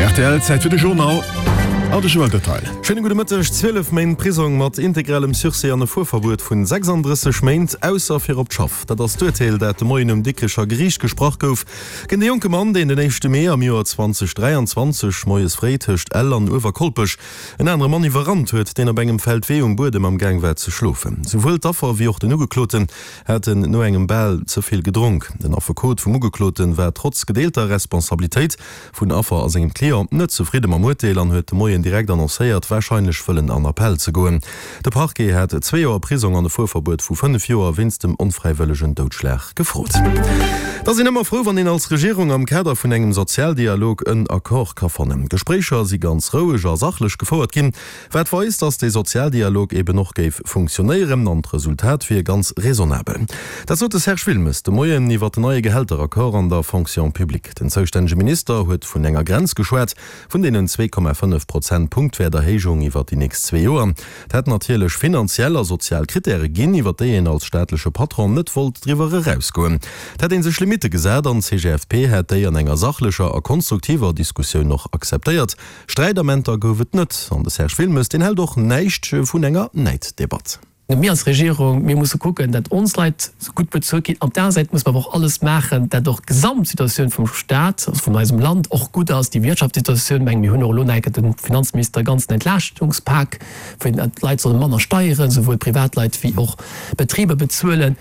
Rtl, Zäit fir de Journal an de Joël Detail. Schéine gudde Mëtteg. 12 Méint Prisong mat integralem Sursis an e Fuerverbuet vun 36 Méint, ausser fir op d'Schaff. Dat ass d'Urteel, dat de Moien um Dikrecher Geriicht gesprach gouf géint e jonke Mann, deen den éischte Mee am Joer 2023 moies fréi tëscht Ell an Uewerkolpech en anere Mann iwwerrannt huet, deen op engem Feldwee um Buedem am Gaang war ze schlofen. Souwuel d'Affer wéi och den Ugekloten haten no engem bal ze vill gedronk. Den Affekot vum Ugeklote war trotz gedeelter Responsabilitéit vun Affer a sengem Client net zefridde mam Urteel an huet de Moien direkt annoncéiert, warscheinlech wëllen an Appell ze goen. De Parquet hat zwee Joer Prisong an e Fuerverbuet vu 5 Joer wéinst dem onfräiwëllegen Doudschlag gefrot. Et ass een ëmmer frou, wann een als Regierung am Kader vun engem Sozialdialog en Accord ka fannen. D'Gespréicher si ganz roueg a sachlech gefouert ginn. Wat weist, datt dee Sozialdialog eben och géif funktionéieren an d'Resultat wier ganz raisonnabel. Dat sot de Serge Wilmes de Moien iwwer den neie Gehälteraccord an der Fonction publique. Den zoustännege Minister huet vun enger Grenz geschwat vun deenen 2,5 Prozent Punktwäerterhéijung iwwer déi nächst zwee Joer. Et hätt natierlech finanziell a sozial Krittäre ginn, iwwer déi een als staatleche Patron net wollt driwwer erausgoen. Et hätt ee sech Limitte gesat an d'CGFP hätt déi an enger sachlecher a konstruktiver Diskussioun och akzeptéiert. Sträidamenter gouf et net, an de Serge Wilmes, deen hält och näischt vun enger Näiddebatt. Mir als Regierung, mir musse kucken, dat ons Leit gutt bezuelt ginn. Op der aner Säit musse mer awer och alles maachen, dat och d'Gesamtsituatioun vum Staat, also vun eisem Land och gutt ass, déi Wirtschaftssituatioun. Meng mir hunn och elo nach eng Kéier dem Finanzminister e ganzen Entlaaschtungspak, wou d'Leit solle manner Steieren, souwuel Privatleit wéi och Betriber bezuelen.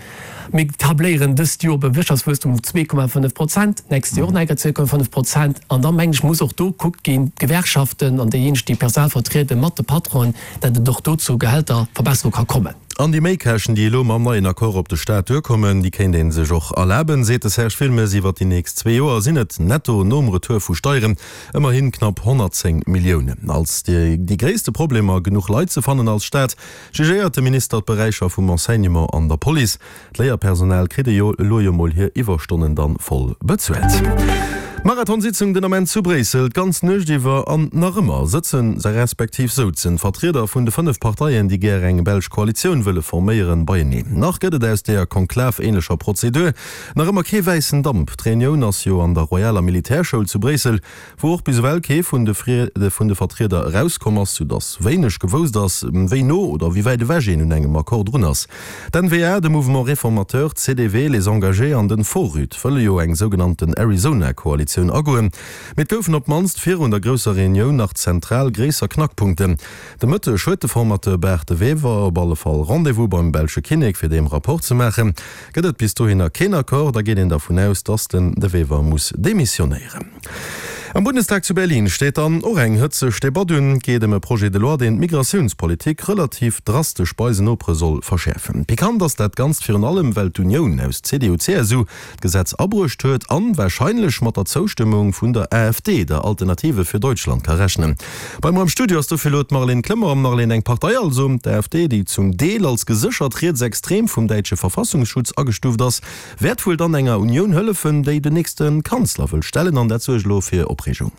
Mir tabléieren dëst Joer e Wirtschaftswuesstum vun 2,5 Prozent, d'nächst Joer och nach eng Kéier 2,5 Prozent. An da mengen ech, muss och do gekuckt ginn, d'Gewerkschaften an déijéineg, déi d'Personal vertrieden, mat de Patronen, dat et och do zu Gehälterverbesserung ka kommen. An déi Méikäschten, déi elo mam neien Accord op de Staat duerkommen, déi kéint ee sech och erlaben, seet de Serge Wilmes. Iwwer déi nächst zwee Joer sinn et netto nom Retour vu Steieren ëmmerhi knapp 110 Milliounen. Als déi gréisste Problemer, genuch Leit ze fannen als Staat, Jugéiert de Minister d'Beräicher vum Enseignement an der Police. D'Léierpersonal kritt ejo elo jo mol hir Iwwerstonnen dann voll bezuelt. Marathonsitzung den Ament zu Bréissel. D'ganz Nuecht iwwer an nach ëmmer sëtzen, respektiv souzen d'Vertrieder vun de 5 Parteien, déi gär eng belsch Koalitioun wëlle forméieren, beieneen. Nach gëtt et aus deeër Konklav-ähnlecher Prozedur nach ëmmer kee wäissen Damp. D'Reunioun ass jo an der Royaler Militärschoul zu Bréissel. wou och bis ewell kee vun de vun de Vertrieder erauskomm ass, soudass wéineg gewousst ass, wéi no oder wéi wäit ewech een un engem Accord drun ass. D'N-VA, de Mouvement Réformateur, d'CDV, Les Engagés an den Forüt wëlle jo eng sougenannten Arizona-Koalitioun agoen, mee et goufen op d'mannst virun der grousser Reunioun nach zentral gréisser Knackpunkten. De Mëtteg huet de Formateur Bart De Wever op alle Fall Rendez-vous beim belsche Kinnek fir deem Rapport ze maachen. Gëtt et bis dohinner keen Accord, da geet een dervun aus, datt den De Wever muss demissionéieren. Am Bundestag zu Berlin steet dann och eng hëtzeg Debatt un. Et geet ëm e Projet de loi, deen d'Migratiounspolitik relativ drastesch bei eisen Nopere soll verschäerfen. Pikant ass dat Ganzt virun allem, well d'Unioun aus CDU-CSU d'Gesetz abruecht huet an warscheinlech mat der Zoustëmmung vun der AfD, der Alternative für Deutschland, ka rechnen. Bei mer am Studio ass dofir elo d'Marlène Clement. Marlène, eng Partei also, d'AfD, déi zum Deel als geséchert rietsextrem vum däitsche Verfassungsschutz agestuuft ass, wäert wuel dann enger Unioun hëllefen, déi den nächste Kanzler wëll stellen an dat suergt elo fir Opreegung.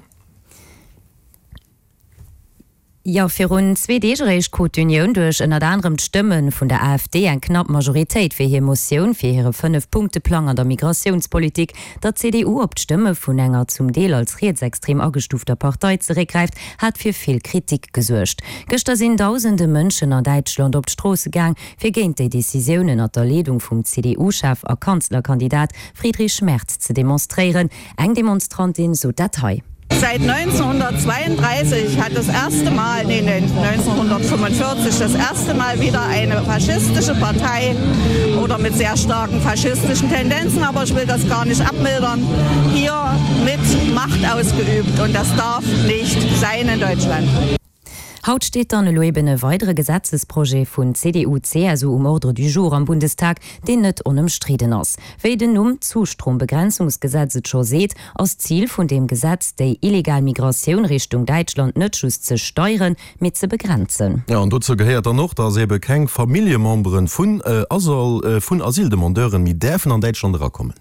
Jo, virun zwee Deeg eréischt krut d'Unioun duerch ënnert anerem d'Stëmme vun der AfD eng knapp Majoritéit fir hir Motioun fir hire Fënnef-Punkte-Plang an der Migratiounspolitik. Datt d'CDU op d'Stëmme vun enger zum Deel als rietsextrem agestuufter Partei zeréckgräift, hat fir vill Kritik gesuergt. Gëschter sinn dausende Mënschen an Däitschland op d'Stroosse gaang, fir géint déi Decisioun ënnert der Leedung vum CDU-Chef a Kanzlerkandidat Friedrich Merz ze demonstréieren. Eng Demonstrantin sot dat hei. Seit 1932 hat das erste Mal, nee, 1945 das erste Mal wieder eine faschistische Partei oder mit sehr starken faschistischen Tendenzen, aber ich will das gar nicht abmildern, hier mit Macht ausgeübt und das darf nicht sein in Deutschland. Haut steet dann elo eben e weidere Gesetzesprojet vun CDU-CSU um Ordre du jour am Bundestag, deen net onëmstriden ass. Wéi den Numm Zustrombegrenzungsgesetz et scho seet, ass d'Zil vun deem Gesetz, déi illegal Migratioun Richtung Däitschland net just ze steieren, mee ze begrenzen. Jo, an dozou gehéiert dann och, dass ebe keng Familljemembere vun Asyldemandeuren méi däerfen an Däitschland erakommen.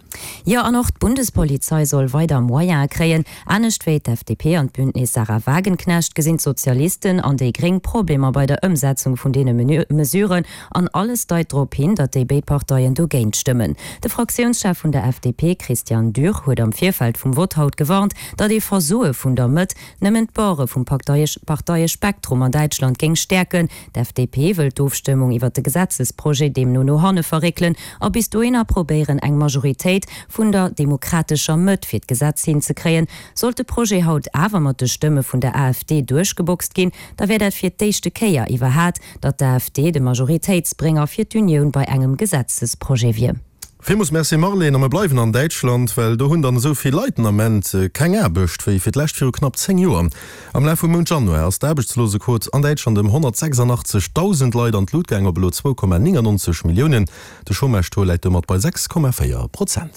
Jo, an och d'Bundespolizei soll weider Moyene kréien. Anescht wéi d'FDP an d'Bündnis Sahra Wagenknecht gesinn d'Sozialisten an déi Gréng Problemer bei der Ëmsetzung vun deene Mesuren an alles deit drop hin, datt déi béid Parteien dogéint stëmmen. De Fraktiounschef vun der FDP, Christian Dürr, huet am Virfeld vum Vott haut gewarnt, datt ee Versoe vun der Mëtt nëmmen d'Borde vum Parteiespektrum an Däitschland géing stäerken. D'FDP wëll d'Ofstëmmung iwwer de Gesetzesprojet deemno no hanne verréckelen a bis dohinner probéieren eng Majoritéit vun der demokratescher Mëtt fir d'Gesetz hinzekréien. Sollt de Projet haut awer mat de Stëmme vun der AfD duerchgeboxt ginn, da wär dat fir d'éischte Kéier iwwerhat, datt d'AfD de Majoritéitsbrénger fir d'Unioun bei engem Gesetzesprojet wier. Villmools Merci Marlene, a mer bleiwen an Däitschland, well do hunn dann esou vill Leit den Ament keng Aarbecht wéi fir d'lescht viru knapp 10 Joer. Am Laf vum Mount Januar ass d'Aarbechtslosequot an Däitschland ëm 186.000 Leit an d'Lut gaang op elo 2,99 Milliounen. De Chômage-Taux läit domat bei 6,4 Prozent.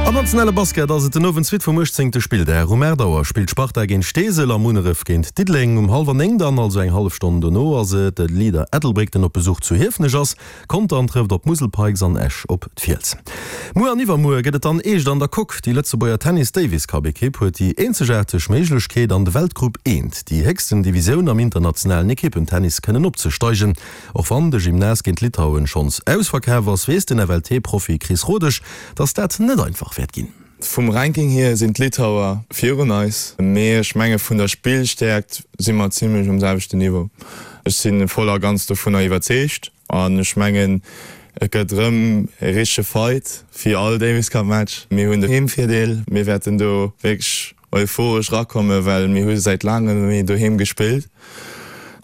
Am nationale Basket ass et den Owend d'Suite vum 18. Spilldag. Um 8 Auer spillt d'Sparta géint Steesel a Munneref géint Diddeleng. Um hallwer 9 dann, also eng hallef Stonn dono, ass et de Leader Ettelbréck, den op Besuch zu Hiefenech ass. Contern trëfft op d'Musel Pikes an Esch op d'Fiels. Muer an iwwermuer gëtt et dann eescht an der Coque. Déi Lëtzebuerger Tennis Davis Cup Ekipp huet déi eenzegaarteg Méiglechkeet an de Weltgrupp I, déi héchsten Divisioun am internationalen Ekippentennis, kënnen opzesteigen. Och wann de Gymnase géint Litauen schonns ausverkaf ass, weess den FLT-Profi Chris Rodesch, datt dat net einfach wäert ginn. Vum Ranking hier sinn d'Litauer virun eis, mee ech menge vun der Spillstäerkt si mer zimmlech um selwechten Niveau. Ech si voll a ganz dovunner iwwerzeegt an ech mengen et gëtt erëm e richtege Fight wéi all Davis Cup Match. Mir hunn de Heemvirdeel, mir wäerten do wierklech euphoresch erakommen, well mir hu säit laangem net méi doheem gespillt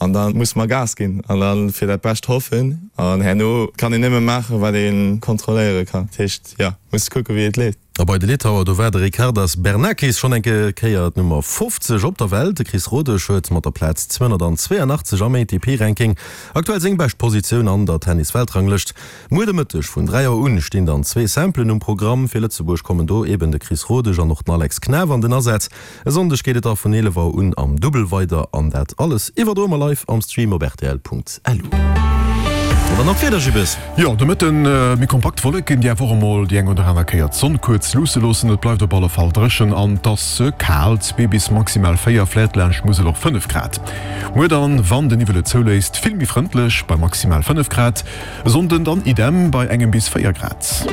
an da musse mer Gas ginn an da fir dat Bescht hoffen an herno kann een nëmme maachen, wat ee kontrolléiere kann. Dat heescht, jo, muss kucke wéi et leeft. A bei de Litauer, do war de Ricardas Bernakis schonn eng Kéier d'Nummer 50 op der Welt. De Chris Rodesch huet mat der Plaz 282 am ATP-Ranking aktuell seng bescht Positioun an der Tennis-Weltranglëscht. Muer de Mëtteg vun 3 Auer un stinn dann zwee Simplen um Programm. Fir Lëtzebuerg kommen do eben de Chris Rodesch an och den Alex Knaff an den Asaz. E Sonndeg geet et da vun 11 Auer un am Dubbel weider an dat alles iwwerdroe mer live am Stream op rtl.lu. An dann nach d'Wieder, Gibbes. Jo, de Mëtten méi kompakt Wolleken, déi awer och emol déi eng oder aner Kéier d'Sonn kuerz luusse loossen. Et bleift op alle Fall dréchen an et ass kal, zwee bis maximal 4, vläit laanscht d'Musel och 5 Grad. Muer dann, wann de Niwwel et zouléisst, vill méi frëndlech bei maximal 5 Grad. E Sonnden dann idem bei engem bis 4 Grad.